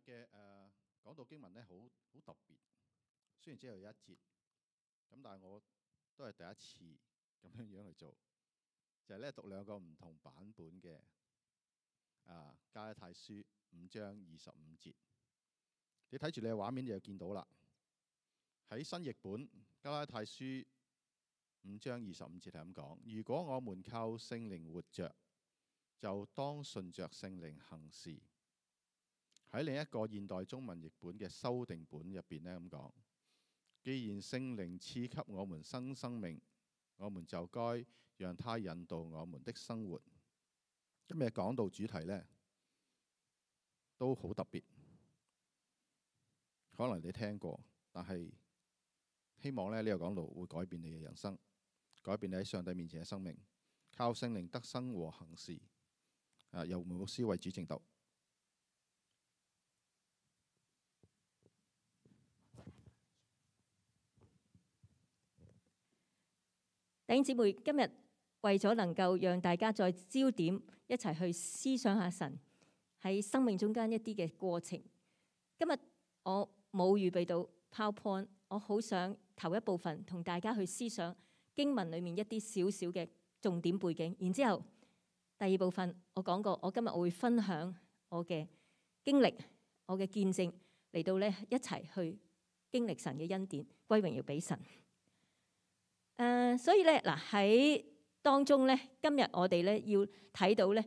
嘅講道經文咧，好特別。雖然只有一節，咁但係我都係第一次咁樣去做，就係咧讀兩個唔同版本嘅加拉太書5章25節。你睇住你嘅畫面，你就見到啦。喺新譯本加拉太書5章25節係咁講：如果我們靠聖靈活着，就當順着聖靈行事。喺另一個現代中文譯本嘅修訂本入邊呢，咁講：既然聖靈賜給我們新生命，我們就該讓他引導我們的生活。今日講到主題呢，都好特別，可能你聽過，但係希望呢個講道會改變你嘅人生，改變你喺上帝面前嘅生命。靠聖靈得生和行事。由梅牧師為主證道。弟兄姊妹，今日為咗能夠讓大家再焦點一齊去思想下神喺生命中間一啲嘅過程。今日我冇預備到 PowerPoint， 我好想頭一部分同大家去思想經文裡面一啲少少嘅重點背景，然之後第二部分我講過，我今日我會分享我嘅經歷、我嘅見證嚟到咧一齊去經歷神嘅恩典，歸榮耀俾神。所以咧嗱喺當中咧，今日我哋咧要睇到咧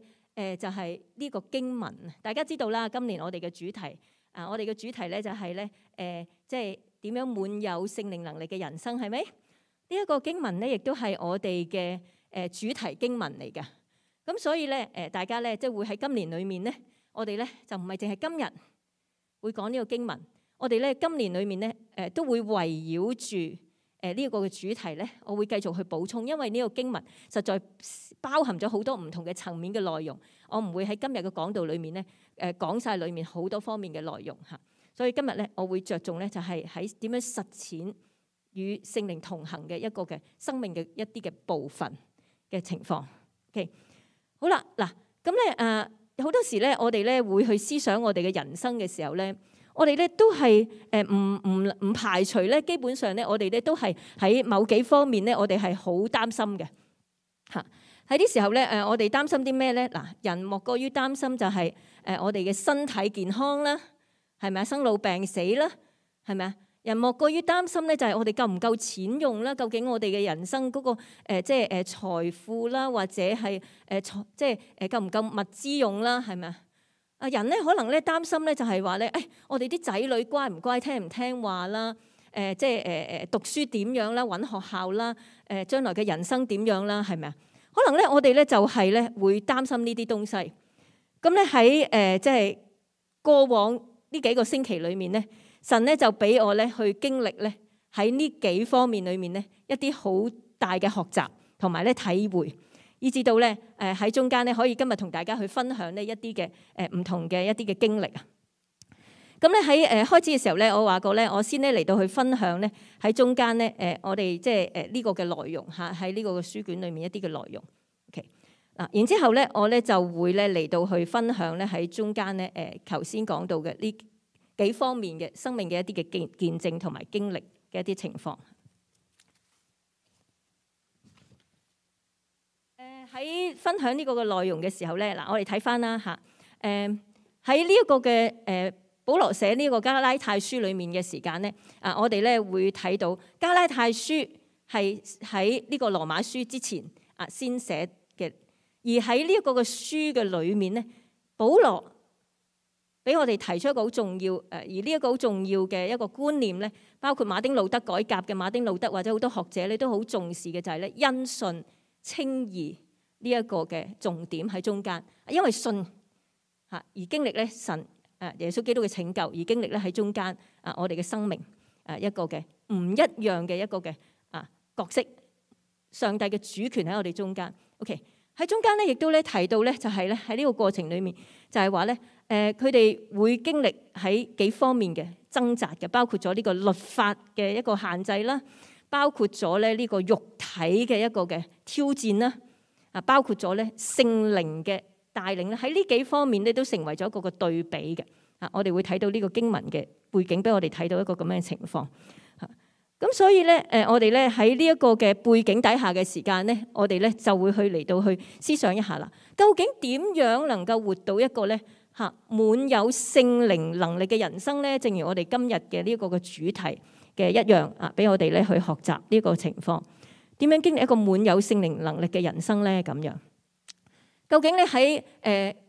就係呢個經文。大家知道啦，今年我哋嘅主題我哋嘅主題咧就係咧即係點樣滿有聖靈能力嘅人生，係咪？呢一個經文咧亦都係我哋嘅主題經文嚟㗎。咁所以咧大家咧即係會喺今年裏面咧，我哋咧就唔係淨係今日會講呢個經文，我哋咧今年裏面咧都會圍繞住呢一個嘅主題咧，我會繼續去補充，因為呢個經文實在包含咗好多唔同嘅層面嘅內容，我唔會喺今日嘅講道裏面咧講晒裏面好多方面嘅內容嚇。所以今日咧我會着重咧就係喺點樣實踐與聖靈同行嘅一個嘅生命嘅一啲嘅部分嘅情況。OK。好啦，嗱咁咧好多時咧，我哋咧會去思想我哋嘅人生嘅時候咧，我哋咧都係唔排除咧，基本上咧我哋咧都係喺某幾方面咧，我哋係好擔心嘅嚇。喺啲時候咧我哋擔心啲咩咧？嗱，人莫過於擔心就係我哋嘅身體健康啦，係咪啊？生老病死啦，係咪啊？人莫過於擔心咧，就係我哋夠唔夠錢用啦？究竟我哋嘅人生嗰個即係財富啦，或者係即係夠唔夠物資用啦？係咪啊？人咧可能咧擔心咧就係話咧，我哋啲仔女乖唔乖，聽唔聽話啦？即係讀書點樣啦？揾學校啦？將來嘅人生點樣啦？係咪啊？可能咧我哋咧就係咧會擔心呢啲東西。咁咧喺即係過往呢幾個星期裏面咧，神咧就俾我咧去經歷咧喺呢幾方面裏面咧一啲好大嘅學習同埋咧體會，以至到咧喺中間咧可以今日同大家去分享呢一啲嘅唔同嘅一啲嘅經歷啊。咁咧喺開始嘅時候咧，我話過咧，我先咧嚟到去分享咧喺中間咧我哋即係呢個嘅內容嚇，喺呢個嘅書卷裏面一啲嘅內容。OK 嗱，然之後咧我咧就會咧嚟到去分享咧喺中間咧頭先講到嘅呢幾方面嘅生命嘅一啲嘅見證同埋經歷嘅一啲情況。喺分享呢個嘅內容嘅時候咧，嗱我哋睇翻啦嚇。喺呢一個嘅保羅寫呢個加拉太書裡面嘅時間咧，我哋咧會睇到加拉太書係喺呢個羅馬書之前先寫嘅，而喺呢一個嘅書嘅裡面咧，保羅俾我哋提出一個好重要而呢一個好重要嘅一個觀念咧，包括馬丁路德改革嘅馬丁路德或者好多學者咧都好重視嘅，就係咧因信稱義呢一個嘅重點喺中間，因為信而經歷咧神耶穌基督嘅拯救，而經歷咧喺中間我哋嘅生命一個嘅唔一樣嘅一個嘅角色，上帝嘅主權喺我哋中間。OK， 喺中間咧亦都咧提到咧就係咧喺呢個過程裡面就係話咧佢哋會經歷喺幾方面嘅掙扎嘅，包括咗呢個律法嘅一個限制啦，包括咗咧呢個肉體嘅一個嘅挑戰啦，包括咗咧聖靈嘅帶領咧，喺呢幾方面咧都成為咗一個嘅對比嘅我哋會睇到呢個經文嘅背景，俾我哋睇到一個咁樣嘅情況。咁所以咧，我哋咧喺呢一個嘅背景底下嘅時間咧，我哋咧就會去嚟到去思想一下啦。究竟點樣能夠活到一個咧滿有聖靈能力嘅人生咧？正如我哋今日嘅呢個嘅主題嘅一樣俾我哋咧去學習呢個情況。點樣經歷一個滿有聖靈能力嘅人生咧？咁樣究竟咧喺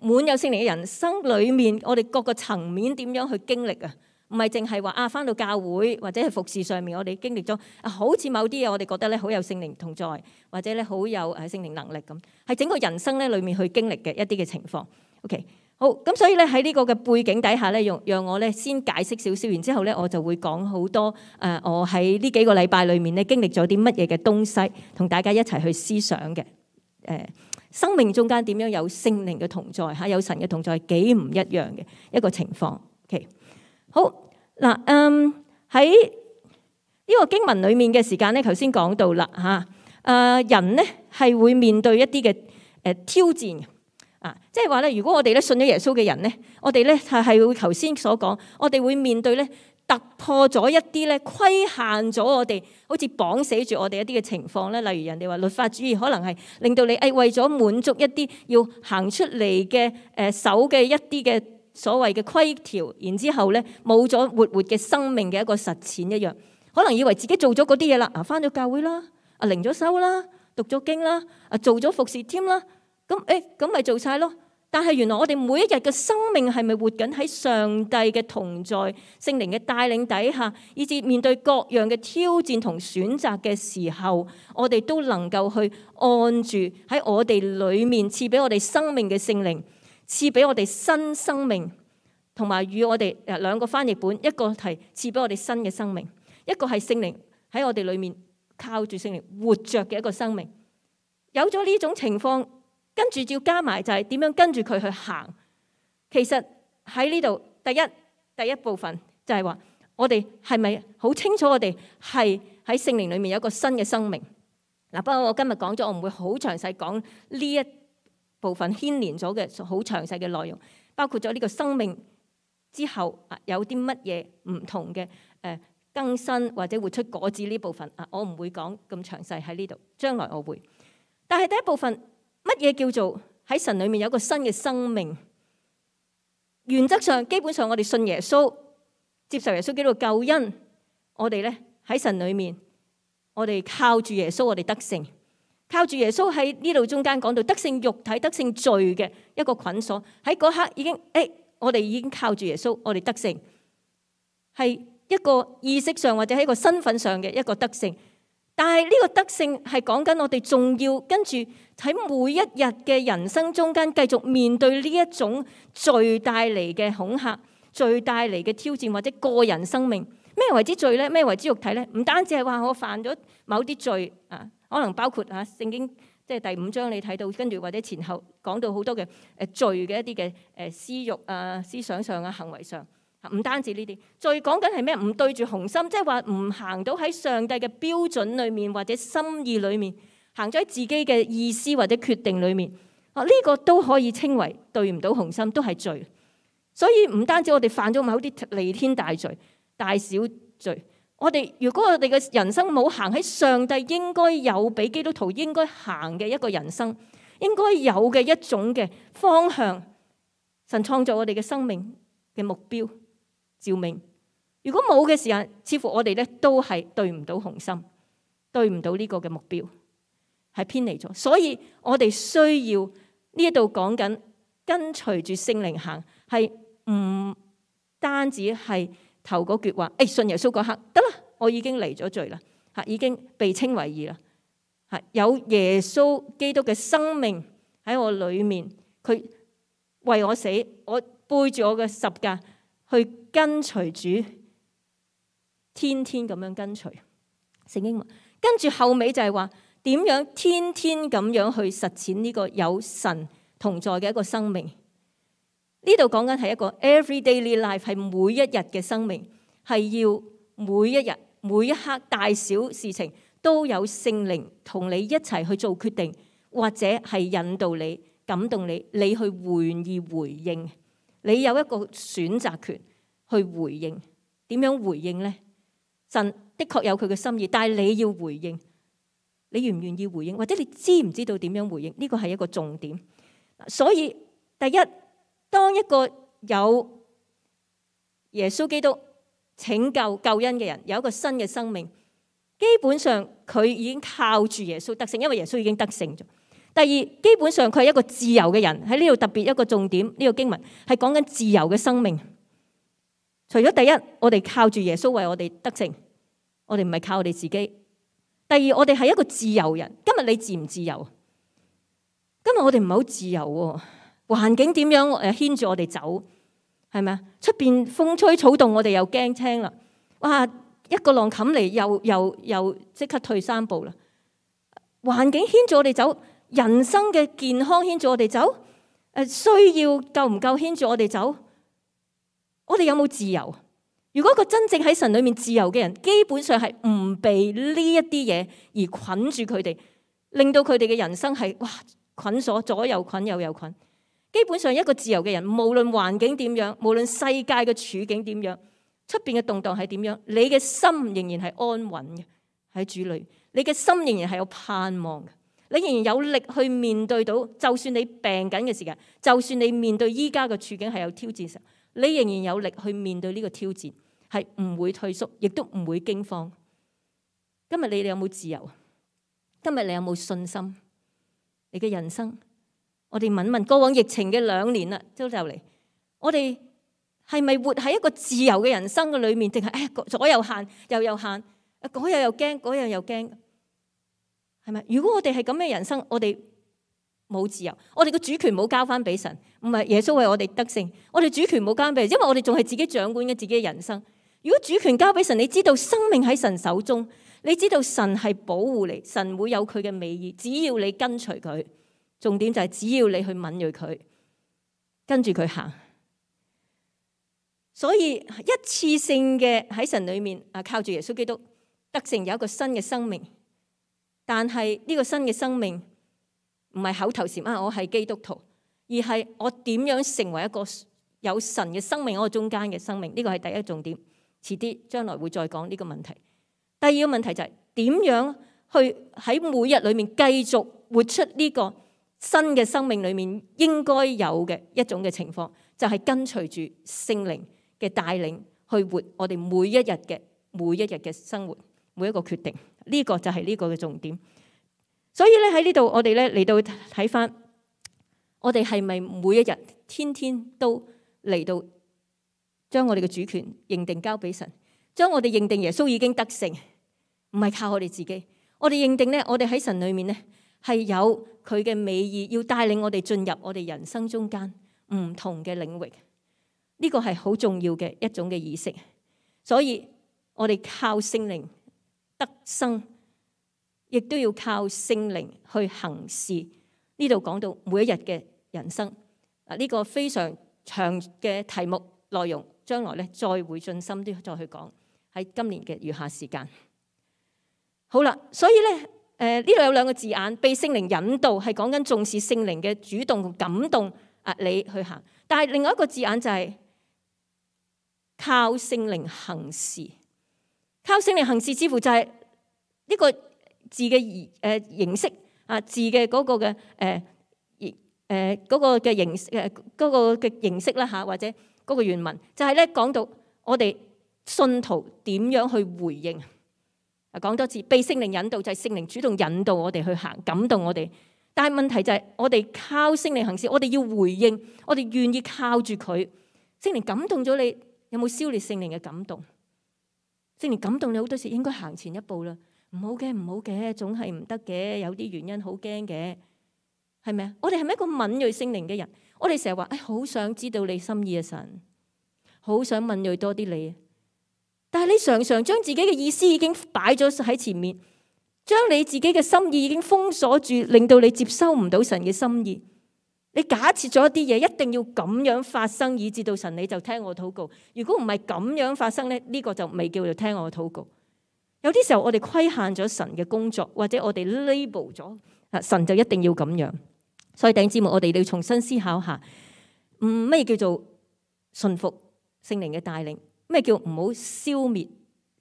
滿有聖靈嘅人生裏面，我哋各個層面點樣去經歷啊？唔係淨係話返到教會或者係服侍上面，我哋經歷咗好似某啲嘢，我哋覺得咧好有聖靈同在，或者咧好有聖靈能力咁，係整個人生咧裏面去經歷嘅一啲嘅情況。OK， 好，咁所以咧喺呢個嘅背景底下咧，讓我咧先解釋少少，然之後咧我就會講好多我喺呢幾個禮拜裏面咧經歷咗啲乜嘢嘅東西，同大家一齊去思想嘅。生命中間點樣有聖靈嘅同在有神嘅同在，幾唔一樣嘅一個情況。OK， 好。嗱，喺呢個經文裡面嘅時間咧，頭先講到啦人咧係會面對一啲嘅挑戰即係話咧，如果我哋咧信咗耶穌嘅人咧，我哋咧係會頭先所講，我哋會面對咧突破咗一啲咧規限咗我哋，好似綁死住我哋一啲嘅情況咧。例如人哋話律法主義可能係令到你為咗滿足一啲要行出嚟嘅守嘅一啲嘅所謂嘅規條，然之後咧冇咗活嘅生命嘅一個實踐一樣，可能以為自己做咗嗰啲嘢啦，返咗教會啦，靈咗修啦，讀咗經啦，做咗服侍添啦，咁咪做晒咯。但係原來我哋每一日嘅生命係咪活緊喺上帝嘅同在、聖靈嘅帶領底下，以至面對各樣嘅挑戰同選擇嘅時候，我哋都能夠去按住喺我哋裡面賜俾我哋生命嘅聖靈，賜俾我哋新生命，同埋與我哋兩個翻譯本，一個係賜俾我哋新嘅生命，一個係聖靈喺我哋裏面靠住聖靈活着嘅一個生命。有咗呢種情況，跟住要加埋就係點樣跟住佢去行。其實喺呢度第一部分就係話，我哋係咪好清楚我哋係喺聖靈裏面有一個新嘅生命？不過我今日講咗，我唔會好詳細講呢一部分牽連咗嘅好詳細嘅內容，包括咗呢個生命之後有啲乜嘢唔同嘅更新或者活出果子呢部分我唔會講咁詳細喺呢度，將來我會。但係第一部分乜嘢叫做喺神裏面有一個新嘅生命？原則上基本上我哋信耶穌，接受耶穌基督嘅救恩，我哋咧喺神裏面，我哋靠住耶穌，我哋得勝。靠住耶穌喺呢度中間講到得勝肉體、得勝罪嘅一個捆鎖，喺嗰刻已經我哋已經靠住耶穌，我哋得勝，係一個意識上或者喺一個身份上嘅一個得勝。但係呢個得勝係講緊我哋仲要跟住喺每一日嘅人生中間繼續面對呢一種罪帶嚟嘅恐嚇、罪帶嚟嘅挑戰或者個人生命。咩為之罪咧？咩為之肉體咧？唔單止係話我犯咗某啲罪可能包括聖經即係第5章你睇到，跟住或者前後講到好多嘅罪嘅一啲嘅私慾思想上行為上，唔單止呢啲罪，講緊係咩？唔對住紅心，即係話唔行到喺上帝嘅標準裏面或者心意裏面，行咗喺自己嘅意思或者決定裏面呢個都可以稱為對唔到紅心，都係罪。所以唔單止我哋犯咗某啲彌天大罪、大小罪。如果我哋嘅人生冇行喺上帝應該有俾基督徒應該行嘅一個人生，應該有嘅一種嘅方向，神創造我哋嘅生命嘅目標召命，如果冇嘅時間，似乎我哋咧都係對唔到紅心，對唔到呢個嘅目標，係偏離咗。所以我哋需要呢一度講緊跟隨住聖靈行，係唔單止係頭嗰句話，信耶穌嗰刻得啦，我已經離咗罪啦，已經被稱為義啦，有耶穌基督嘅生命喺我裏面，佢為我死，我背住我嘅十架去跟隨主，天天咁樣跟隨聖經文。跟住後尾就係話點樣天天咁樣去實踐呢個有神同在嘅一個生命。呢度講緊係一個 everyday life， 係每一日嘅生命，係要每一日每一刻大小事情都有聖靈同你一齊去做決定，或者係引導你、感動你，你去願意回應。你有一個選擇權去回應。點樣回應呢？神的確有佢嘅心意，但係你要回應，你願唔願意回應，或者你知唔知道點樣回應？呢個係一個重點。所以第一，當一個有耶穌基督拯救救恩嘅人，有一個新嘅生命，基本上佢已經靠住耶穌得勝，因為耶穌已經得勝咗。第二，基本上佢係一個自由嘅人。喺呢度特別一個重點，呢個經文係講緊自由嘅生命。除咗第一，我哋靠住耶穌為我哋得勝，我哋唔係靠我哋自己。第二，我哋係一個自由人。今日你自唔自由？今日我哋唔係好自由喎，環境點樣牽住我哋走，係咪啊？出邊風吹草動，我哋又驚青啦。哇！一個浪冚嚟，又即刻退三步啦。環境牽住我哋走，人生嘅健康牽住我哋走，需要夠唔夠牽住我哋走？我哋有冇自由？如果一個真正喺神裏面自由嘅人，基本上係唔被呢一啲嘢而捆住佢哋，令到佢哋嘅人生係捆鎖，左右捆右右捆。基本上一個自由嘅人，無論環境點樣，無論世界嘅處境點樣，出邊嘅動盪係點樣，你嘅心仍然係安穩嘅喺主裏，你嘅心仍然係有盼望嘅，你仍然有力去面對到，就算你病緊嘅時間，就算你面對依家嘅處境係有挑戰時，你仍然有力去面對呢個挑戰，係唔會退縮，亦都唔會驚慌。今日你哋有冇自由？今日你有冇信心？你嘅人生，我哋問問過往疫情嘅2年啦，都就嚟，我哋係咪活喺一個自由嘅人生嘅裏面，定係左右限右右限，嗰樣又驚，嗰樣又驚，係咪？如果我哋係咁嘅人生，我哋冇自由，我哋個主權冇交翻俾神，唔係耶穌為我哋得勝，我哋主權冇交俾，因為我哋仲係自己掌管嘅自己嘅人生。如果主權交俾神，你知道生命喺神手中，你知道神係保護你，神會有佢嘅美意，只要你跟隨佢。重點就係只要你去敏銳佢，跟住佢行。所以一次性嘅喺神裏面靠住耶穌基督得勝，有一個新嘅生命。但係呢個新嘅生命唔係口頭禪我係基督徒，而係我點樣成為一個有神嘅生命喺我中間嘅生命。呢個係第一重點，遲啲將來會再講呢個問題。第二個問題就係點樣去喺每日裏面繼續活出呢個新嘅生命裏面應該有嘅一種嘅情況，就係跟隨住聖靈嘅帶領去活我哋每一日嘅生活，每一個決定。呢個就係呢個嘅重點。所以咧喺呢度我哋咧嚟到睇翻，我哋係咪每一日天天都嚟到將我哋嘅主權認定交俾神，將我哋認定耶穌已經得勝，唔係靠我哋自己。我哋認定咧，我哋喺神裏面咧係有佢嘅美意，要帶領我哋進入我哋人生中間唔同嘅領域。呢個係好重要嘅一種嘅意識。所以我哋靠聖靈得生，亦都要靠聖靈去行事。呢度講到每一日嘅人生，呢個非常長嘅題目內容，將來咧再會盡心啲再去講，喺今年嘅餘下時間。好啦，所以咧呢度有2個字眼，被聖靈引導，係講緊重視聖靈嘅主動感動你去行。但係另外一個字眼就係靠聖靈行事。靠聖靈行事似乎就係呢個字嘅形式字嘅嗰個嘅嗰個嘅形嗰個嘅形式啦或者嗰個原文就係咧講到我哋信徒點樣去回應。講多次，被聖靈引導就係聖靈主動引導我哋去行，感動我哋。但係問題就係我哋靠聖靈行事，我哋要回應，我哋願意靠住佢。聖靈感動咗你，有冇消滅聖靈嘅感動？聖靈感動你好多時應該行前一步啦。唔好嘅，唔好嘅，總係唔得嘅，有啲原因好驚嘅，係咪啊？我哋係咪一個敏銳聖靈嘅人？我哋成日話好想知道你心意嘅神，好想敏銳多啲你。但係你常常將自己嘅意思已經擺咗喺前面，將你自己嘅心意已經封鎖住，令到你接收唔到神嘅心意。你假設咗一啲嘢一定要咁樣發生，以至到神你就聽我禱告。如果唔係咁樣發生咧，呢個就未叫做聽我禱告。有啲時候我哋規限咗神嘅工作，或者我哋 label 咗神就一定要咁樣。所以弟兄姊妹，我哋要重新思考下，乜嘢叫做順服聖靈嘅帶領。咩叫唔好消滅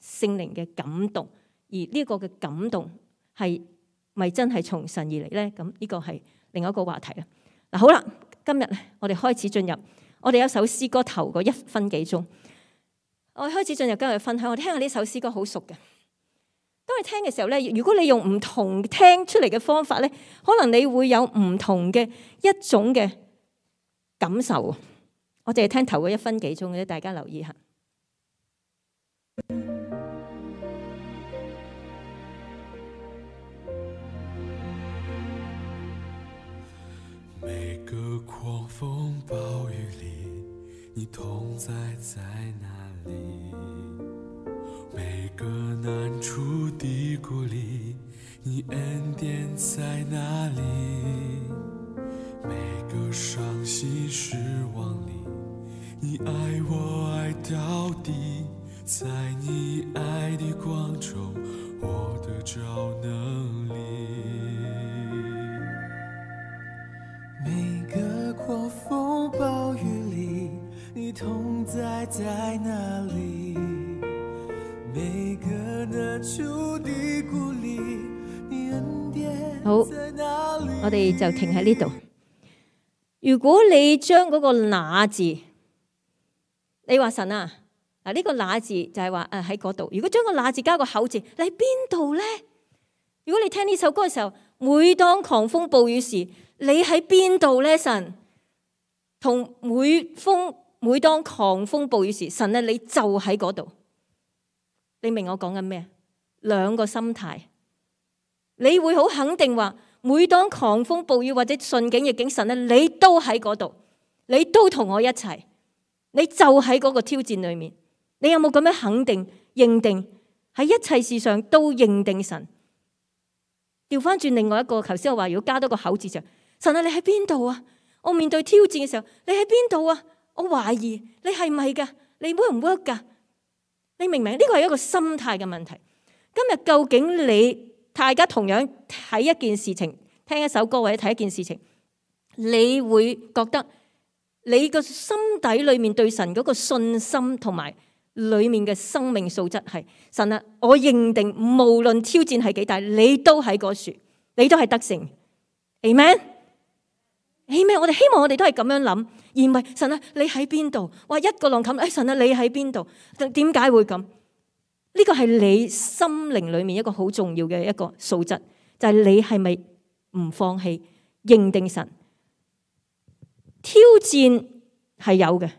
聖靈嘅感動？而呢個嘅感動係咪真係從神而嚟咧？咁呢個係另外一個話題啦。嗱，好啦，今日咧我哋開始進入，我哋有一首詩歌頭嗰1分幾鐘，我哋開始進入今日嘅分享。我哋聽下呢首詩歌好熟嘅。當你聽嘅時候咧，如果你用唔同聽出嚟嘅方法咧，可能你會有唔同嘅一種嘅感受。我淨係聽頭嗰1分幾鐘嘅啫，大家留意下。每個狂風暴雨裏，你同在在哪裡？每個難處低谷裡，你恩典在哪裡？每個傷心失望裡，你愛我愛到底，在你愛的光中，我得着能力。每個狂風暴雨裡，你同在在哪裡？每個難處低谷裡，你恩典在哪裡？好，我哋就停喺呢度。如果你將嗰個那字，你話神啊，嗱呢個那字就係話喺嗰度。如果將個那字加個口字，你喺邊度咧？如果你聽呢首歌嘅時候，每當狂風暴雨時，你喺邊度咧？神同每當狂風暴雨時，神啊，你就喺嗰度。你明我講緊咩？兩個心態，你會好肯定話，每當狂風暴雨或者順境逆境，神啊，你都喺嗰度，你都同我一齊，你就喺嗰個挑戰裏面。你有冇咁樣肯定認定喺一切事上都認定神？調翻轉另外一個，頭先我話如果加多個口字上，神啊，你喺邊度啊？我面對挑戰嘅時候，你喺邊度啊？我懷疑你係咪噶？你 work 唔 work 噶？你明唔明？呢個係一個心態嘅問題。今日究竟大家同樣睇一件事情，聽一首歌或者睇一件事情，你會覺得你個心底裏面對神嗰個信心同埋裏面嘅生命素質係神啊！我認定無論挑戰係幾大，你都喺嗰處，你都係得勝。Amen。Amen。我哋希望我哋都係咁樣諗，而唔係神啊，你喺邊度？哇，一個浪冚，神啊，你喺邊度？點解會咁？呢個係你心靈裏面一個好重要嘅一個素質，就係你係咪唔放棄認定神？挑戰係有嘅，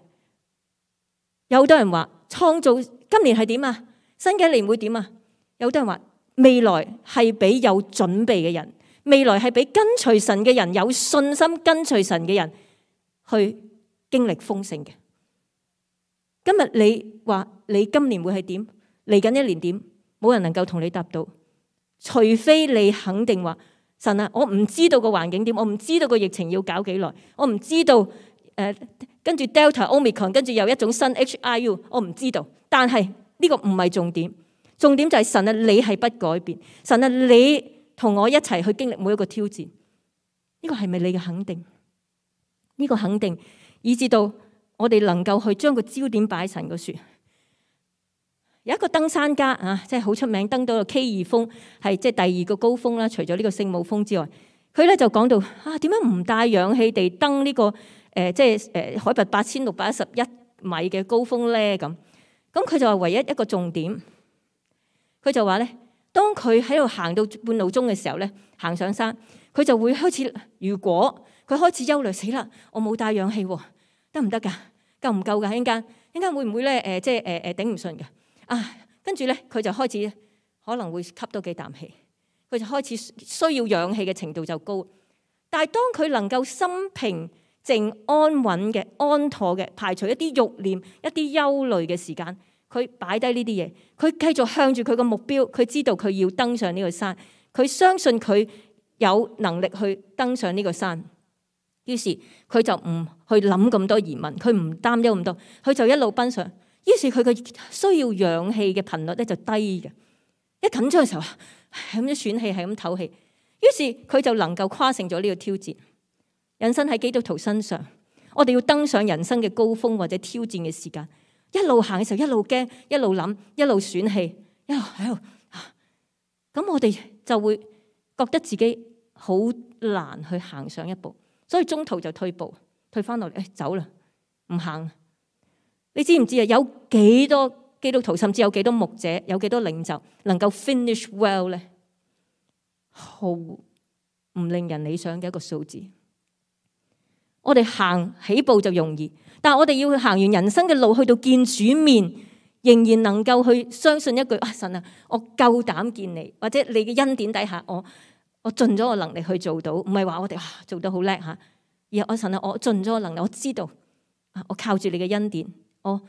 有好多人話創造今年係點啊？新嘅一年會點啊？有好多人話未來係俾有準備嘅人，未來係俾跟隨神嘅人，有信心跟隨神嘅人去經歷豐盛嘅。今日你話你今年會係點？嚟緊一年點？冇人能夠同你答到，除非你肯定話神啊，我唔知道個環境點，我唔知道個疫情要搞幾耐，我唔知道跟住 Delta、Omicron， 跟住又一種新 HIU， 我唔知道。但係呢個唔係重點，重點就係神啊，你係不改變，神啊，你同我一齊去經歷每一個挑戰。呢個係咪你嘅肯定？呢個肯定以至到我哋能夠去將個焦點擺喺神嗰處。有一個登山家啊，即係好出名，登到個 K2 峰，係即係第2個高峰啦。除咗呢個聖母峰之外，佢咧就講到啊，點樣唔帶氧氣地登呢個即係海拔8611米嘅高峰咧？咁佢就話唯一一個重點，佢就話咧，當佢喺度行到半路中嘅時候咧，行上山，佢就會開始，如果佢開始憂慮，死啦，我冇帶氧氣喎，得唔得㗎？夠唔夠㗎？一陣間會唔會咧？即係頂唔順㗎？啊，跟住咧，佢就開始可能會吸多幾啖氣，佢就開始需要氧氣嘅程度就高。但係當佢能夠心平靜、安穩嘅、安妥嘅，排除一啲慾念、一啲憂慮嘅時間，佢擺低呢啲嘢，佢繼續向住佢個目標，佢知道佢要登上呢個山，佢相信佢有能力去登上呢個山。於是佢就唔去諗咁多疑問，佢唔擔憂咁多，佢就一路奔上。於是佢嘅需要氧氣嘅頻率咧就低嘅，一緊張嘅時候係咁樣喘氣，係咁唞氣。於是佢就能夠跨勝咗呢個挑戰。人生喺基督徒身上，我哋要登上人生嘅高峰或者挑戰嘅時間，一路行嘅時候一路驚，一路諗，一路選氣，一路喺度，咁我哋就會覺得自己好難去行上一步，所以中途就退步，退翻落嚟，走啦，唔行。你知唔知啊？有幾多基督徒，甚至有幾多牧者，有幾多領袖能夠 finish well 咧？毫唔令人理想嘅一個數字。我哋行起步就容易，但係我哋要行完人生嘅路，去到見主面，仍然能夠去相信一句神啊，我夠膽見你，或者你嘅恩典底下，我盡咗我能力去做到，唔係話我哋做得好叻吓，而係神啊，我盡咗我能力，我知道我靠住你嘅恩典，我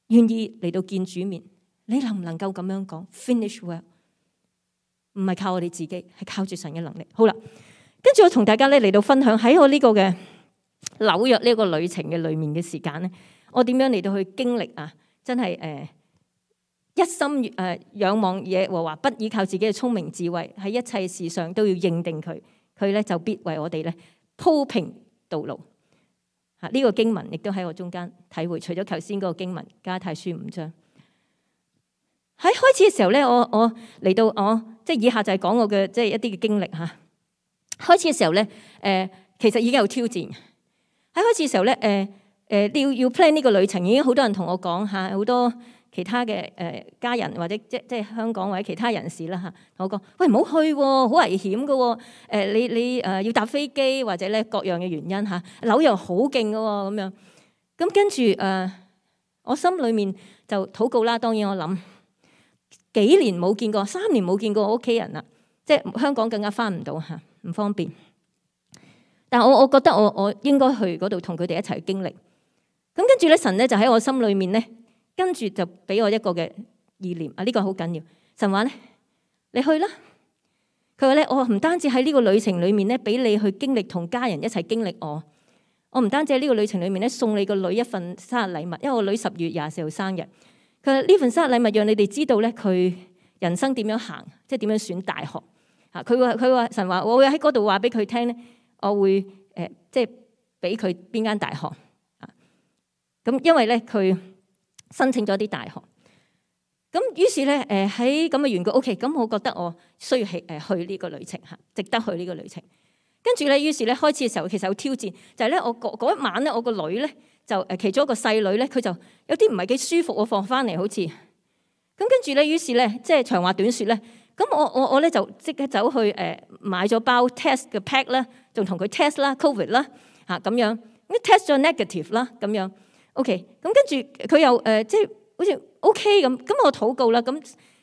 願意嚟到見主面。你能唔能夠咁樣講 finish well？ 唔係靠我哋自己，係靠住神嘅能力。好啦，跟住我同大家咧嚟到分享喺我呢個嘅紐約呢個旅程嘅裏面嘅時間咧，我點樣嚟到去經歷啊？真係一心仰望耶和華，不依靠自己嘅聰明智慧，喺一切事上都要認定佢，佢咧就必為我哋咧鋪平道路。呢個經文亦都喺我中間體會，除咗頭先嗰個經文加拉太書5章。喺開始嘅時候咧，我嚟到即係以下就係講我嘅即係一啲嘅經歷嚇。開始嘅時候咧，其實已經有挑戰。喺開始嘅時候咧，要 plan 呢個旅程，已經好多人同我講嚇，好多其他嘅家人或者即係香港或者其他人士啦嚇，同我講：喂，唔好去喎，好危險㗎喎！你要搭飛機或者咧各樣嘅原因嚇，紐約好勁㗎喎咁樣。咁跟住我心裏面就禱告啦。當然我諗幾年冇見過，3年冇見過我屋企人啦，即係香港更加返唔到嚇，唔方便。但係我覺得我應該去嗰度同佢哋一齊經歷。咁跟住咧，神咧就喺我心裏面咧，跟住就俾我一個嘅意念啊！呢個好緊要。神話咧，你去啦。佢話咧，我唔單止喺呢個旅程裏面咧，俾你去經歷同家人一齊經歷我。我唔單止喺呢個旅程裏面咧，送你個女一份生日禮物，因為我女10月24號生日。佢話呢份生日禮物讓你哋知道咧，佢人生點樣行，即係點樣選大學。佢話神話，我會喺嗰度話俾佢聽咧，我會即係俾佢邊間大學。咁因為咧佢申請咗啲大學，咁於是咧喺咁嘅緣故 ，OK， 咁我覺得我需要去呢個旅程嚇，值得去呢個旅程。跟住咧，於是咧開始嘅時候其實有挑戰，就係咧我嗰一晚咧，我個女咧就其中一個細女咧，佢就有啲唔係幾舒服，我放翻嚟好似。咁跟住咧，於是咧即係長話短説咧，咁我咧就即刻走去買咗包 test 嘅 pack 啦，仲同佢 test 啦 COVID 啦嚇咁樣，咁 test 咗 negative 啦咁樣。OK， 咁跟住佢又即係好似 OK 咁我禱告啦，咁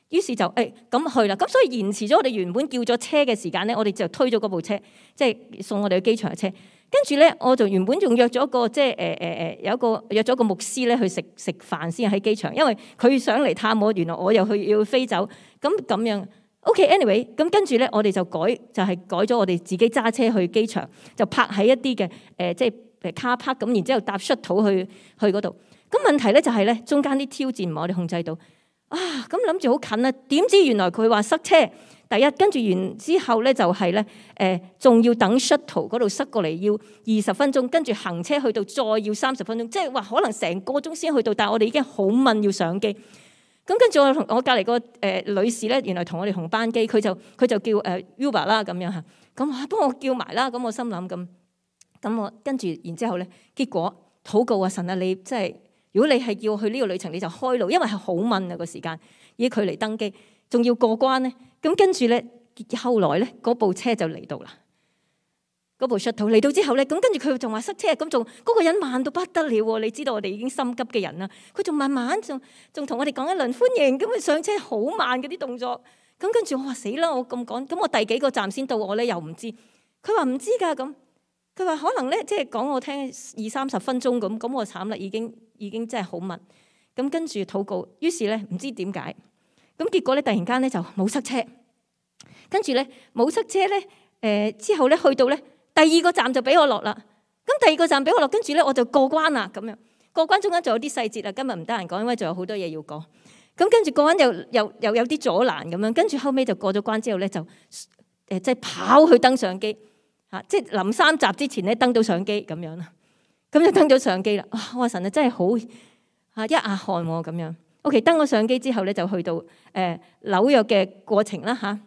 於是就咁去啦。咁所以延遲咗我哋原本叫咗車嘅時間咧，我哋就推咗嗰部車，即係送我哋去機場嘅車。跟住咧，我就原本仲約咗個即係有一個約咗個牧師咧去食飯先喺機場，因為佢想嚟探我，原來我又要飛走，咁樣。OK，anyway，咁跟住咧，我哋就改咗我哋自己揸車去機場，就泊喺一啲嘅即係car park咁，然之後搭 shuttle去嗰度。咁問題咧就係咧，中間啲挑戰唔係我哋控制到啊！咁諗住好近啊，點知原來佢話塞車。第一跟住完之後咧就係咧仲要等 shuttle 嗰度塞過嚟要20分鐘，跟住行車去到再要30分鐘，即係話可能成個鐘先去到。但係我哋已經好悶要上機。咁跟住我隔離個女士咧，原來同我哋同班機，佢就叫Uber 啦咁樣嚇。咁幫我叫埋啦。咁我心諗咁我跟住然之後咧，結果禱告啊，神啊，你即係如果你係要去呢個旅程，你就開路，因為係好悶啊個時間，以距離登機仲要過關咧。咁跟住咧，後來咧嗰部車就嚟到啦。嗰部 shuttle 嚟到之後咧，咁跟住佢仲話塞車，咁仲嗰個人慢到不得了喎！你知道我哋已經心急嘅人啦，佢仲慢慢仲同我哋講一輪歡迎，咁佢上車好慢嗰啲動作。咁跟住我話死啦，我咁趕，咁我第幾個站先到我咧又唔知。佢話唔知㗎咁。佢話可能咧，即係講我聽20-30分鐘咁我慘啦，已經真係好密。咁跟住禱告，於是咧唔知點解，咁結果咧突然間咧就冇塞車，跟住咧冇塞車咧，之後咧去到咧第2個站就俾我落啦。咁第2個站俾我落，跟住咧我就過關啦咁樣。過關中間仲有啲細節啊，今日唔得閒講，因為仲有好多嘢要講。咁跟住過關又有啲阻攔咁樣，跟住後尾就過咗關之後咧就即係跑去登上機。即係臨3集之前咧登到上機咁樣啦。咁就登咗上機啦。哇！我話神啊，真係好一額汗喎咁樣。OK， 登咗上機之後咧，就去到紐約嘅過程啦嚇。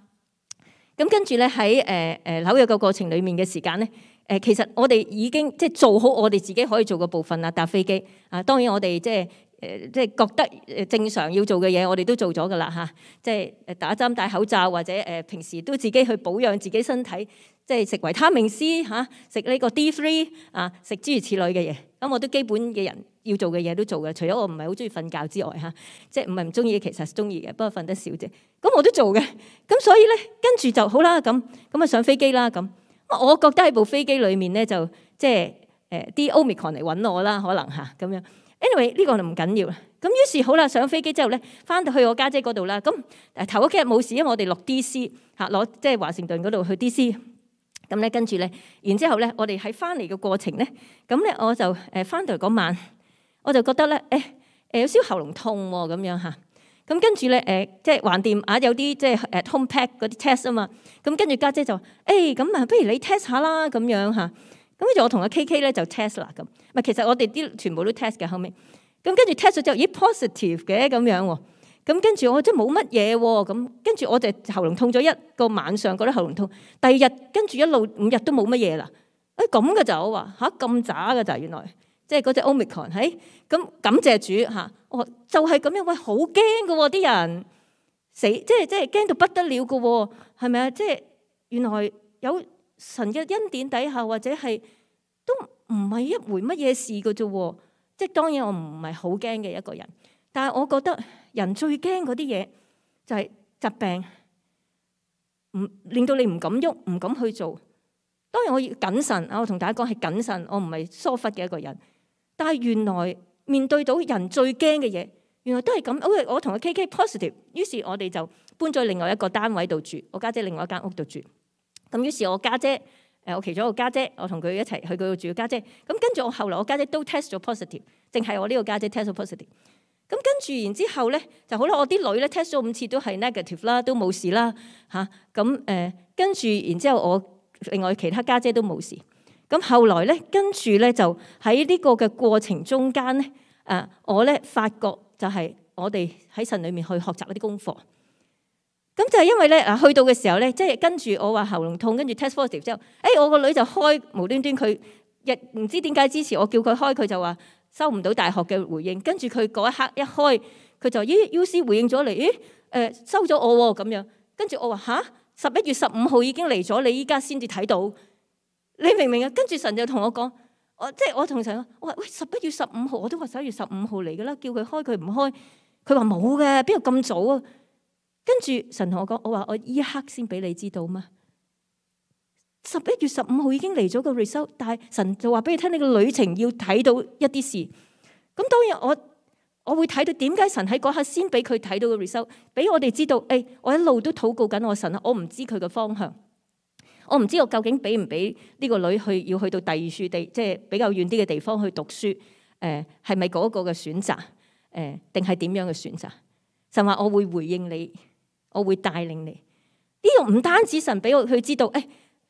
咁跟住咧喺紐約嘅過程裡面嘅時間咧，其實我哋已經即係做好我哋自己可以做嘅部分啦。搭飛機啊，當然我哋即係覺得正常要做嘅嘢，我哋都做咗噶啦嚇。即係打針、戴口罩，或者平時都自己去保養自己身體，即係食維他命 C 嚇，食呢個 D3 啊，食諸如此類嘅嘢。咁我都基本嘅人要做嘅嘢都做嘅，除咗我唔係好中意瞓覺之外嚇，即係唔係唔中意，其實中意嘅，不過瞓得少啫。咁我都做嘅，咁所以咧跟住就好啦，咁啊上飛機啦咁。我覺得喺部飛機裡面咧就即係啲 Omicron 嚟揾我啦，可能嚇咁樣。Anyway 呢個就唔緊要啦。咁於是好啦，上飛機之後咧，翻到去我家姐嗰度啦。咁頭嗰幾日冇事，因為我哋落 DC 嚇，攞即係華盛頓嗰度去 DC。咁咧跟住咧，然之後咧，我哋喺翻嚟嘅過程咧，咁咧我就翻到嚟嗰晚，我就覺得咧有少少喉嚨痛喎咁樣嚇。咁跟住咧即係橫掂啊，有啲即係home pack 嗰啲 test 啊嘛。咁跟住家姐就話咁啊，不如你 test 下啦咁樣嚇。咁跟住我同阿 KK 咧就 test 啦咁。唔係，其實我哋啲全部都 test 嘅後尾。咁跟住 test 咗之後，咦 positive 嘅咁樣喎。咁跟住我真係冇乜嘢喎。咁跟住我就喉嚨痛咗一個晚上，覺得喉嚨痛。第二日跟住一路5日都冇乜嘢啦。咁嘅就我話嚇咁渣嘅就原來，即係嗰隻 Omicron 咁感謝主嚇。我就係咁樣，喂好驚嘅喎啲人死，即係驚到不得了嘅喎，係咪啊？即係原來有神嘅恩典底下，或者係都唔係一回乜嘢事嘅啫喎。即係當然我唔係好驚嘅一個人，但係我覺得人最驚嗰啲嘢就係疾病，令到你唔敢喐，唔敢去做。當然我要謹慎啊！我同大家講係謹慎，我唔係疏忽嘅一個人。但係原來面對到人最驚嘅嘢，原來都係咁。我同阿 KK positive， 於是我哋就搬咗另外一個單位度住，我家姐另外一間屋度住。咁於是我家姐，我其中一個家姐，我同佢一齊去嗰度住嘅家姐。咁跟住我後來我家姐都 test 咗 positive， 淨係我呢個家姐 test 咗 positive。咁跟住然之後咧就好啦，我啲女咧 test 咗5次都係 negative 啦，都冇事啦嚇。咁跟住然之後我另外其他家姐都冇事。咁後來咧跟住咧就喺呢個嘅過程中間咧，我咧發覺就係我哋喺神裏面去學習一啲功課。咁就係因為咧去到嘅時候咧，即係跟住我話喉嚨痛，跟住 test positive 之後，我個女就開無端端佢亦唔知點解之前我叫佢開，佢就話收唔到大學嘅回應。跟住佢嗰一刻一開，佢就UC 回應咗嚟，收咗我喎咁樣。跟住我話嚇，11月15號已經嚟咗，你依家先至睇到，你明唔明啊？跟住神就同我講，我同神講，我話喂11月15號，我都話11月15號嚟㗎啦，叫佢開佢唔開，佢話冇嘅，邊度咁早啊？跟住神同我講，我話我依一刻先俾你知道嘛。11月15號已經嚟咗個 result， 但係神就話俾你聽，你個旅程要睇到一啲事。咁當然我會睇到點解神喺嗰刻先俾佢睇到個 result， 俾我哋知道。我一路都禱告緊我神啊，我唔知佢嘅方向，我唔知我究竟俾唔俾呢個女要去到第二處地，即係比較遠啲嘅地方去讀書。係咪嗰個嘅選擇？定係點樣嘅選擇？神話我會回應你，我會帶領你。呢個唔單止神俾我去知道，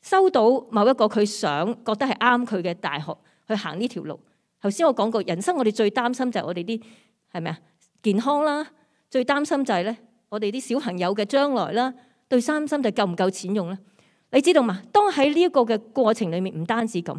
收到某一個佢想覺得係啱佢嘅大學去行呢條路。頭先我講過，人生我哋最擔心就係我哋啲係咪啊健康啦，最擔心就係咧我哋啲小朋友嘅將來啦，最擔心就係夠唔夠錢用啦。你知道嘛？當喺呢一個嘅過程裡面，唔單止咁，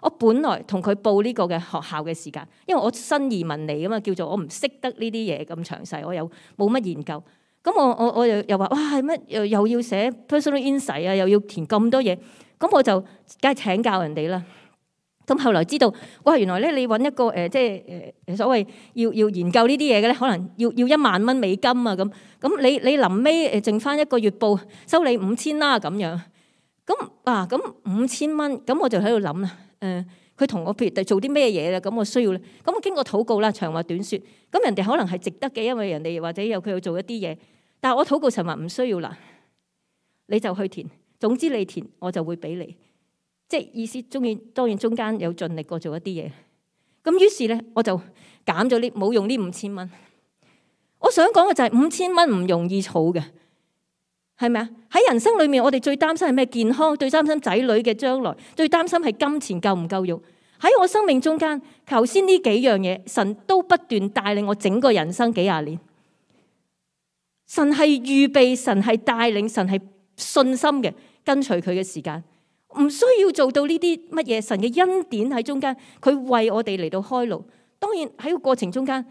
我本來同佢報呢個嘅學校嘅時間，因為我新移民嚟㗎嘛，叫做我唔識得呢啲嘢咁詳細，我又冇乜研究。咁我又話哇係乜又要寫 personal insight 啊，又要填咁多嘢，咁我就梗係請教人哋啦。咁後來知道哇，原來咧你揾一個即係所謂要研究呢啲嘢嘅咧，可能要1萬蚊美金啊咁。咁你臨尾剩翻一個月報收你5000啦咁樣。咁5000蚊，咁我就喺度諗啦。佢同我譬如做啲咩嘢咧？咁我需要咧。咁我經過禱告啦，長話短説。咁人哋可能係值得嘅，因為人哋或者有佢要做一啲嘢。但係我禱告神話唔需要啦，你就去填。總之你填，我就會俾你。即係意思當然中間有盡力過做一啲嘢。咁於是咧，我就減咗冇用呢5000蚊。我想講嘅就係5000蚊唔容易儲嘅，係咪啊？喺人生裏面，我哋最擔心係咩？健康，最擔心仔女嘅將來，最擔心係金錢夠唔夠用。喺我生命中間，頭先呢幾樣嘢，神都不斷帶領我整個人生幾廿年。神係預備，神係帶領，神係信心嘅跟隨佢嘅時間，唔需要做到呢啲乜嘢。神嘅恩典喺中間，佢為我哋嚟到開路。當然喺個過程中間，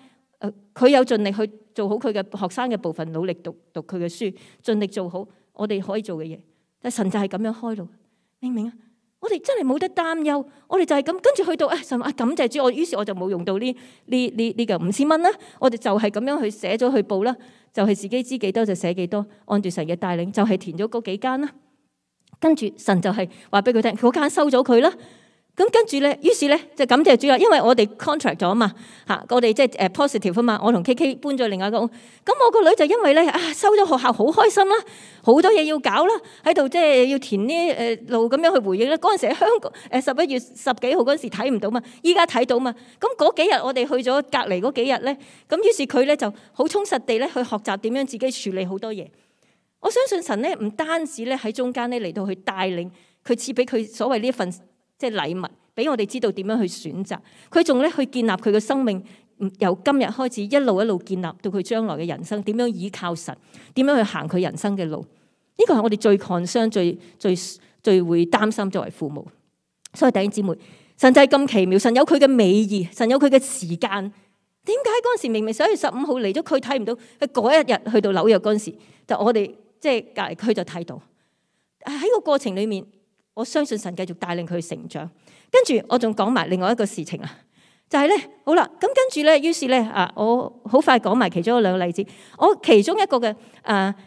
佢有盡力去做好佢嘅學生嘅部分，努力讀佢嘅書，盡力做好我哋可以做嘅嘢。但神就係咁樣開路，明唔明啊？我哋真係冇得擔憂，我哋就係咁跟住去到神感謝主，於是我就冇用到呢個5000蚊啦，我哋就係咁樣去寫咗去報啦，就係自己知幾多就寫幾多，按住神嘅帶領就係填咗嗰幾間啦。跟住神就係話俾佢聽，嗰間收咗佢啦。咁跟住咧，於是咧就感謝主啦，因為我哋 contract 咗嘛嚇，我哋即係positive 啊嘛，我同 KK 搬咗另外一個屋，咁我個女就因為咧收咗學校好開心啦，好多嘢要搞啦，喺度即係要填呢路咁樣去回應啦。嗰陣時喺香港11月10幾號嗰陣時睇唔到嘛，依家睇到嘛。咁嗰幾日我哋去咗隔離嗰幾日咧，咁於是佢咧就好充實地咧去學習點樣自己處理好多嘢。我相信神咧唔單止咧喺中間咧嚟到去帶領佢，賜俾佢所謂呢一份即係禮物，俾我哋知道點樣去選擇。佢仲咧去建立佢嘅生命，由今日開始一路一路建立到佢將來嘅人生，點樣依靠神，點樣去行佢人生嘅路。呢個係我哋最 concern、最會擔心作為父母。所以弟兄姊妹，神就係咁奇妙，神有佢嘅美意，神有佢嘅時間。點解嗰陣時明明11月15號嚟咗，佢睇唔到？佢嗰一日去到紐約嗰陣時，就我哋即係隔離區就睇到。喺個過程裡面，我相信神繼續帶領佢成長。跟住我仲講埋另外一個事情啊，就係咧，好啦，咁跟住咧，於是咧我好快講埋其中2個例子。我其中一個嘅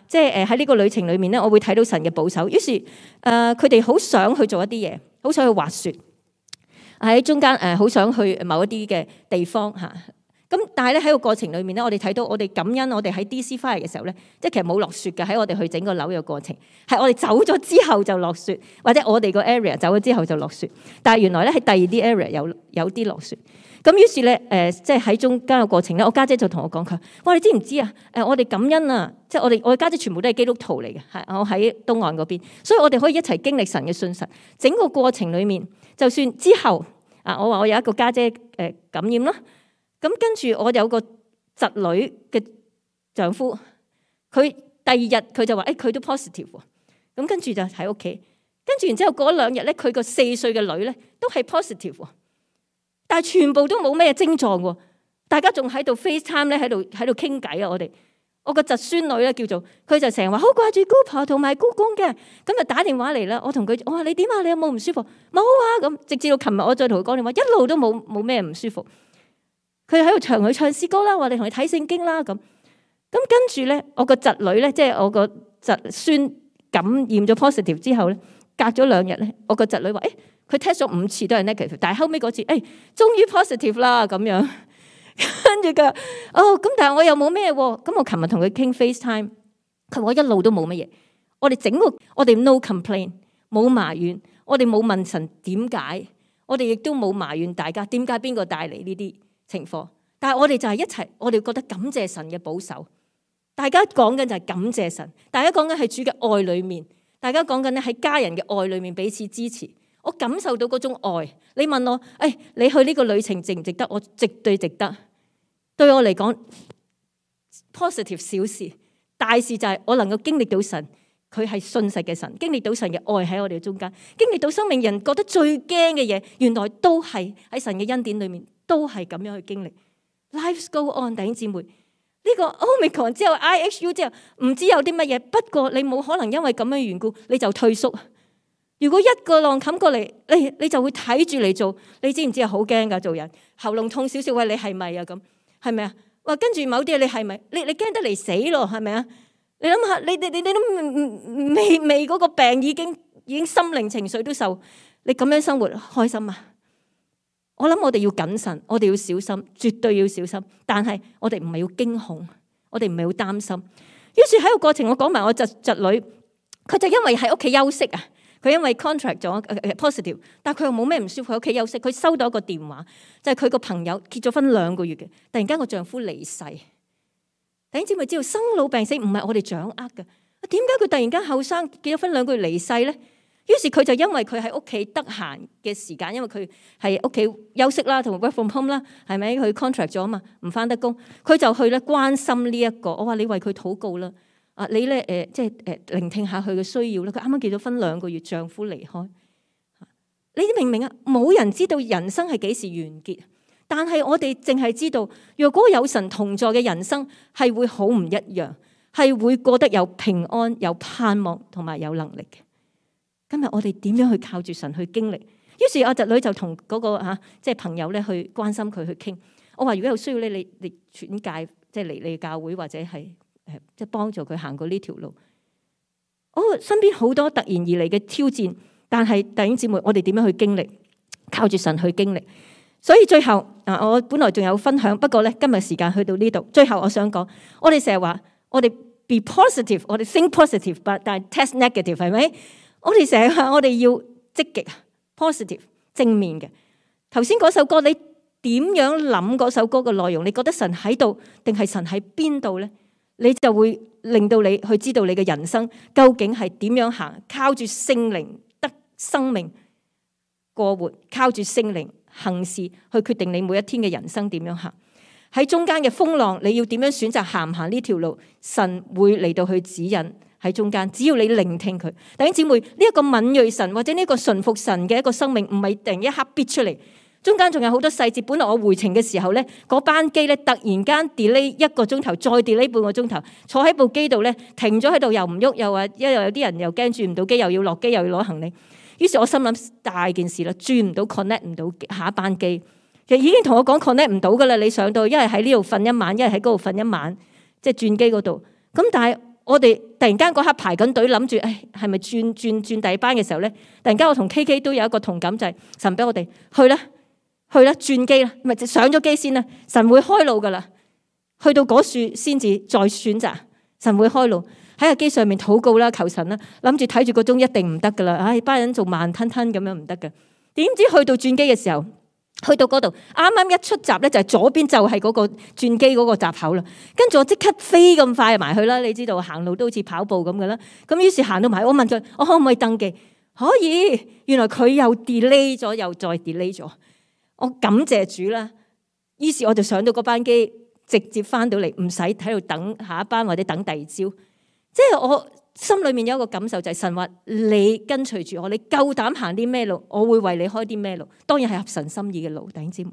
即係喺呢個旅程裏面咧，我會睇到神嘅保守。於是佢哋好想去做一啲嘢，好想去滑雪，喺中間好想去某一啲嘅地方嚇。咁但係咧喺個過程裏面咧，我哋睇到我哋感恩，我哋喺 DC 翻嚟嘅時候咧，即係其實冇落雪嘅，喺我哋去整個紐約過程，係我哋走咗之後就落雪，或者我哋個 area 走咗之後就落雪。但係原來咧喺第二啲 area 有啲落雪。咁於是咧即係喺中間嘅過程咧，我家姐就同我講佢話：你知唔知啊？我哋感恩啊！即係我家姐全部都係基督徒嚟嘅，係我喺東岸嗰邊，所以我哋可以一齊經歷神嘅信實。整個過程裏面，就算之後我話我有一個家姐感染啦。咁跟住我有個侄女嘅丈夫，佢第二日佢就話佢都 positive 喎。咁跟住就喺屋企，跟住然之後過咗2日咧，佢個4歲嘅女咧都係 positive 喎，但係全部都冇咩症狀喎。大家仲喺度 FaceTime 咧，喺度傾偈啊！我個侄孫女咧叫做佢就成日話好掛住姑婆同埋姑公嘅，咁就打電話嚟啦。我同佢我話你點啊？你有冇唔舒服？冇啊！咁直至到琴日我再同佢講電話，一路都冇咩唔舒服。佢喺度唱佢唱詩歌啦，話你同佢睇聖經啦咁。跟住咧，我個侄女咧，即係我個侄孫感染咗 positive 之後咧，隔咗2日咧，我個侄女話佢 test 咗5次都係 negative， 但係後尾嗰次終於 positive 啦咁樣。跟住佢話咁但係我又冇咩喎。咁我琴日同佢傾 FaceTime， 佢話我一路都冇乜嘢。我哋 no complain， 冇埋怨，我哋冇問神點解，我哋亦都冇埋怨大家點解邊個帶嚟呢啲情況，但係我哋就係一齊，我哋覺得感謝神嘅保守。大家講緊就係感謝神，大家講緊係主嘅愛裏面，大家講緊咧喺家人嘅愛裏面彼此支持。我感受到嗰種愛。你問我，你去呢個旅程值唔值得？我絕對值得。對我嚟講 ，positive 小事，大事就係我能夠經歷到神，佢係信實嘅神，經歷到神嘅愛喺我哋中間，經歷到生命人覺得最驚嘅嘢，原來都係喺神嘅恩典裏面。都係咁樣去經歷 ，Life go on， 弟兄姊妹。呢個 Omicron 之後 IHU 之後，唔知有啲乜嘢。不過你冇可能因為咁樣緣故，你就退縮。如果一個浪冚過嚟，你就會睇住嚟做。你知唔知啊？好驚噶，做人喉嚨痛少少，喂，你係咪啊？咁係咪啊？話跟住某啲嘢，你係咪？你驚得嚟死咯？係咪啊？你諗下，你都未嗰個病已經心靈情緒都受，你咁樣生活開心啊？我諗我哋要謹慎，我哋要小心，絕對要小心。但係我哋唔係要驚恐，我哋唔係要擔心。於是喺個過程，我講埋我侄女，佢就因為喺屋企休息啊，佢因為 contract 咗 positive， 但係佢又冇咩唔舒服喺屋企休息。佢收到一個電話，就係佢個朋友結咗婚2個月嘅，突然間個丈夫離世。弟兄姊妹知道生老病死唔係我哋掌握嘅，點解佢突然間後生結咗婚2個月離世咧？於是佢就因為佢喺屋企得閒嘅時間，因為佢係屋企休息啦，同埋 work from home 啦，係咪？佢 contract 咗啊嘛，唔返得工，佢就去咧關心呢一個。我話你為佢禱告啦，你咧即係聆聽下佢嘅需要啦。佢啱啱結咗婚2個月，丈夫離開。你明唔明啊？冇人知道人生係幾時完結，但係我哋淨係知道，若果有神同在嘅人生係會好唔一樣，係會過得有平安、有盼望同埋有能力嘅。今日我哋點樣去靠住神去經歷？於是阿侄女就同嗰個即係朋友咧去關心佢去傾。我話如果有需要咧，你轉介即係嚟你教會或者係即係幫助佢行過呢條路。我身邊好多突然而嚟嘅挑戰，但係弟兄姊妹，我哋點樣去經歷？靠住神去經歷。所以最後我本來仲有分享，不過咧今日時間去到呢度。最後我想講，我哋成日話我哋 be positive， 我哋 think positive， 但係 test negative 係咪？我哋成日話我哋要積極 positive 正面嘅。頭先嗰首歌，你點樣諗嗰首歌嘅內容？你覺得神喺度定係神喺邊度咧？你就會令到你去知道你嘅人生究竟係點樣行，靠住聖靈得生命過活，靠住聖靈行事去決定你每一天嘅人生點樣行。喺中間嘅風浪，你要點樣選擇行唔行呢條路？神會嚟到去指引。喺中間，只要你聆聽佢。弟兄姊妹，呢一個敏銳神或者呢個順服神嘅一個生命，唔係突然一刻逼出嚟，中間仲有好多細節。本來我回程嘅時候咧，嗰班機咧突然間 delay 1個鐘頭，再 delay 半個鐘頭，坐喺部機度咧停咗喺度，又唔喐，又話因為有啲人又驚轉唔到機，又要落機，又要攞行李。於是我心諗大件事啦，轉唔到 connect 唔到下一班機，其實已經同我講 connect 唔到噶啦。你上到一係喺呢度瞓一晚，一係喺嗰度瞓一晚，即係轉機嗰度。咁但係我哋突然間嗰刻排緊隊，諗住係咪轉第二班嘅時候咧，突然間我同 KK 都有一個同感，就係神俾我哋去啦，轉機啦，咪上咗機先啦，神會開路噶啦，去到嗰處先至再選擇，神會開路。喺個機上面禱告啦，求神啦，諗住睇住個鐘一定唔得噶啦，班人做慢吞吞咁樣唔得噶。點知去到轉機嘅時候，去到嗰度啱啱一出閘咧，就係左邊就係嗰個轉機嗰個閘口啦。跟住我即刻飛咁快埋去啦，你知道行路都好似跑步咁噶啦。咁於是行到埋，我問佢：我可唔可以登記？可以。原來佢又 delay 咗，又再 delay 咗。我感謝主啦。於是我就上到嗰班機，直接翻到嚟，唔使喺度等下一班或者等第二朝。即係我心裏面有一個感受，就係神話你跟隨住我，你夠膽行啲咩路，我會為你開啲咩路。當然係合神心意嘅路，弟兄姊妹，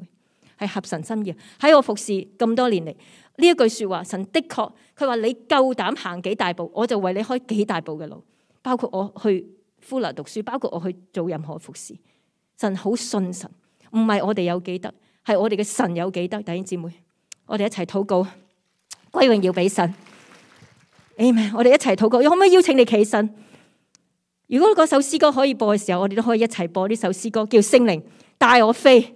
係合神心意。喺我服侍咁多年嚟，呢一句說話，神的確佢話你夠膽行幾大步，我就為你開幾大步嘅路。包括我去呼羅讀書，包括我去做任何服侍。神好信神，唔係我哋有幾得，係我哋嘅神有幾得。弟兄姊妹，我哋一齊禱告，歸榮耀俾神。Amen，我哋一齊禱告。可唔可以邀請你企身？如果嗰首詩歌可以播嘅時候，我哋都可以一齊播呢首詩歌，叫《聖靈帶我飛》。弟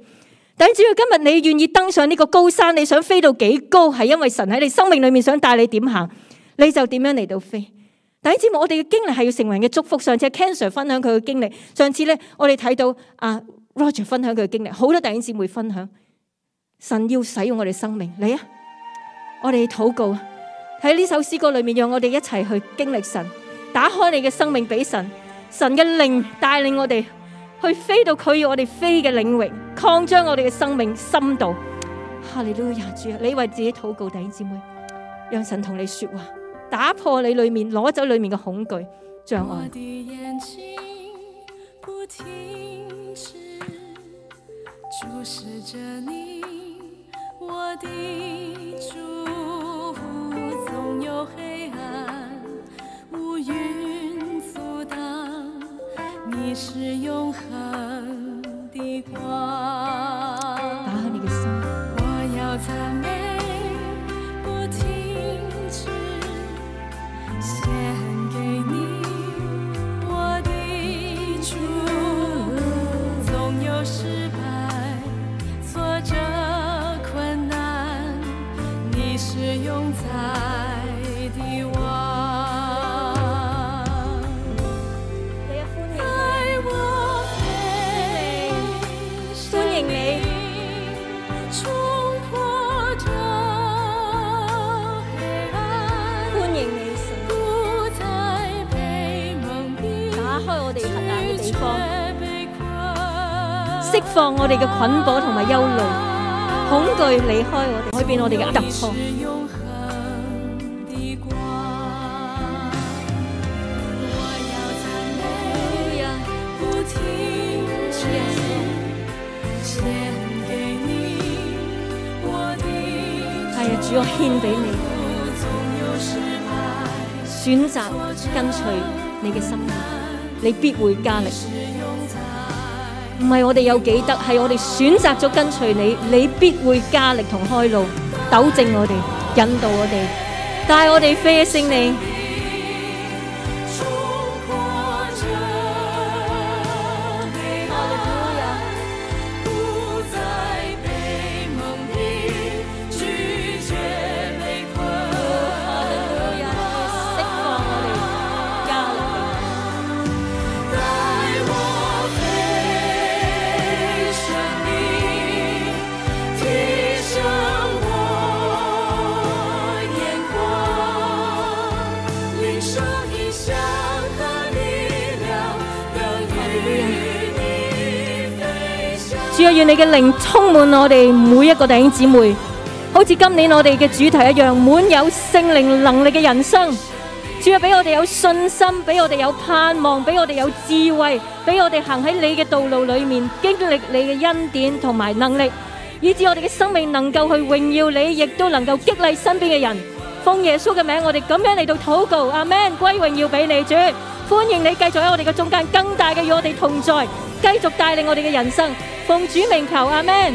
兄姊妹，今日你願意登上呢個高山，你想飛到幾高，係因為神喺你生命裏面想帶你點行，你就點樣嚟到飛。弟兄姊妹，我哋嘅經歷係要成為人嘅祝福。上次 Ken Sir 分享佢嘅經歷，上次咧我哋睇到Roger 分享佢嘅經歷，好多弟兄姊妹分享。神要使用我哋生命，嚟啊！我哋禱告。喺呢首詩歌裏面，讓我哋一齊去經歷神，打開你嘅生命俾神，神嘅靈帶領我哋去飛到佢要我哋飛嘅領域，擴張我哋嘅生命深度。哈利路亞，主啊，你為自己禱告，弟兄姊妹，讓神同你說話，打破你裏面攞走裏面嘅恐懼障礙。我的眼睛不停止注視着你，我的主。總有黑暗烏雲阻擋，你是永恆的光。打開你嘅心，我要讚美不停止，獻給你我的主。總有失敗挫折釋放我哋嘅捆綁同埋憂慮，恐懼離開我哋，改變我哋嘅突破。係啊，主，我獻俾你，選擇跟隨你嘅心意，你必會加力。唔係我哋有幾得，係我哋選擇咗跟隨你，你必會加力同開路，糾正我哋，引導我哋，帶我哋飛升你。主啊，願你嘅靈充滿我哋每一個弟兄姊妹，好似今年我哋嘅主題一樣，滿有聖靈能力嘅人生。主啊，俾我哋有信心，俾我哋有盼望，俾我哋有智慧，俾我哋行喺你嘅道路裏面，經歷你嘅恩典同埋能力，以致我哋嘅生命能夠去榮耀你，亦都能夠激勵身邊嘅人。奉耶穌嘅名，我哋咁樣嚟到禱告，阿們，歸榮耀俾你。主，歡迎你繼續喺我哋嘅中間，更大嘅與我哋同在，繼續帶領我哋嘅人生。奉主名求，阿們。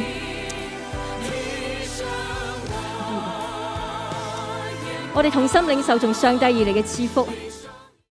我哋同心領受從上帝而嚟嘅賜福。